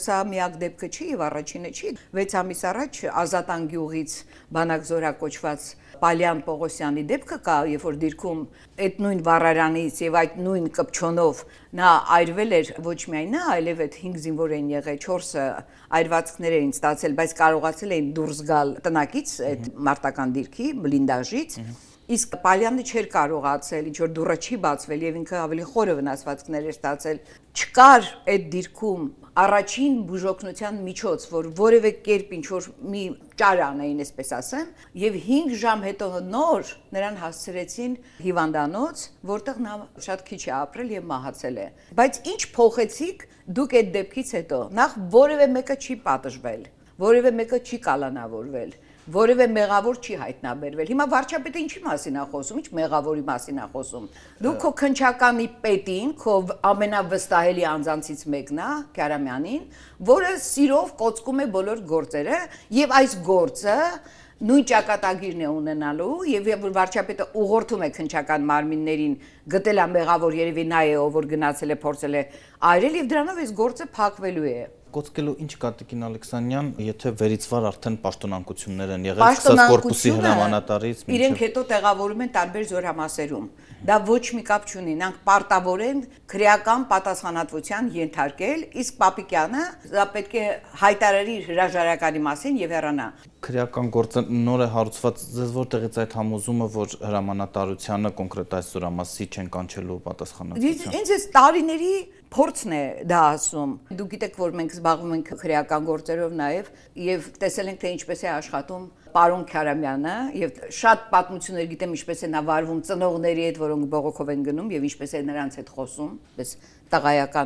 Սա միակ դեպքը չի եւ առաջինը չի։ 6 ամիս առաջ Ազատան գյուղից բանակզորա կոչված Պալյան Պողոսյանի դեպքը կա, երբ որ դիրքում այդ նույն վառարանից եւ այդ նույն կպչոնով նա այրվել էր ոչ միայն նա, այլև այդ 5 զինվոր են եղել, 4-ը այրվածքներ էին ստացել, բայց կարողացել էին դուրս գալ տնակից այդ մարտական դիրքի բլինդաժից։ Իսկ Պալյանը չէր կարողացել, ինչ որ դուռը չի բացվել եւ ինքը ավելի խորը վնասվածքներ էր ստացել։ Չկար այդ դիրքում առաջին բուժօգնության միջոց, որ որևէ կերպ ինչ որ մի ճար անեին, այսպես ասեմ, եւ 5 ժամ հետո նոր նրան հասցրեցին հիվանդանոց, որտեղ նա շատ քիչ է ապրել եւ մահացել է։ Բայց ինչ փոխեցիք դուք այդ դեպքից հետո։ Նախ որևէ մեկը չի պատժվել, որևէ մեկը չի կալանավորվել, որևէ մեղավոր չի հայտնաբերվել։ Հիմա վարչապետը ինչի մասին է խոսում, ինչ մեղավորի մասին է խոսում։ Դու քո քնչականի պետին, քո ամենավստահելի անձանցից մեկն է, Քարամյանին, որը սիրով կոծկում է բոլոր գործերը, եւ այս գործը նույն ճակատագիրն է ունենալու եւ որ վարչապետը ուղղորդում է քնչական մարմիններին գտել է մեղավոր, երևի նա է, ով որ գնացել է փորձել է այրել եւ դրանով այս գործը փակվելու է։ Կոծկելու ինչ կա Տիկին Ալեքսանյան, եթե վերիցվար արդեն պաշտոնանկություններ են եղել սկսած կորպուսի հրամանատարից մինչև իրենք հետո տեղավորում են տարբեր զորամասերում։ Դա ոչ մի կապ չունի, նրանք պարտավոր են քրեական պատասխանատվության ենթարկել, իսկ Պապիկյանը դա պետք է հայտարարի իր հրաժարականի մասին եւ հեռանա։ Քրեական գործը նոր է հարուցված, ձեզ որտեղից այդ համոզումը, որ հրամանատարությանը կոնկրետ այս զորամասի չեն կանչելու պատասխանատվության։ Ինձ էս տարիների փորձն է դա ասում։ Դուք գիտեք, որ մենք զբաղվում ենք քրեական գործերով եւ տեսել ենք թե ինչպես է աշխատում պարոն Քարամյանը եւ շատ պատմություններ գիտեմ ինչպես է նա վարվում ծնողների հետ, որոնք բողոքով են գնում եւ ինչպես է նրանց հետ խոսում, պես տղայական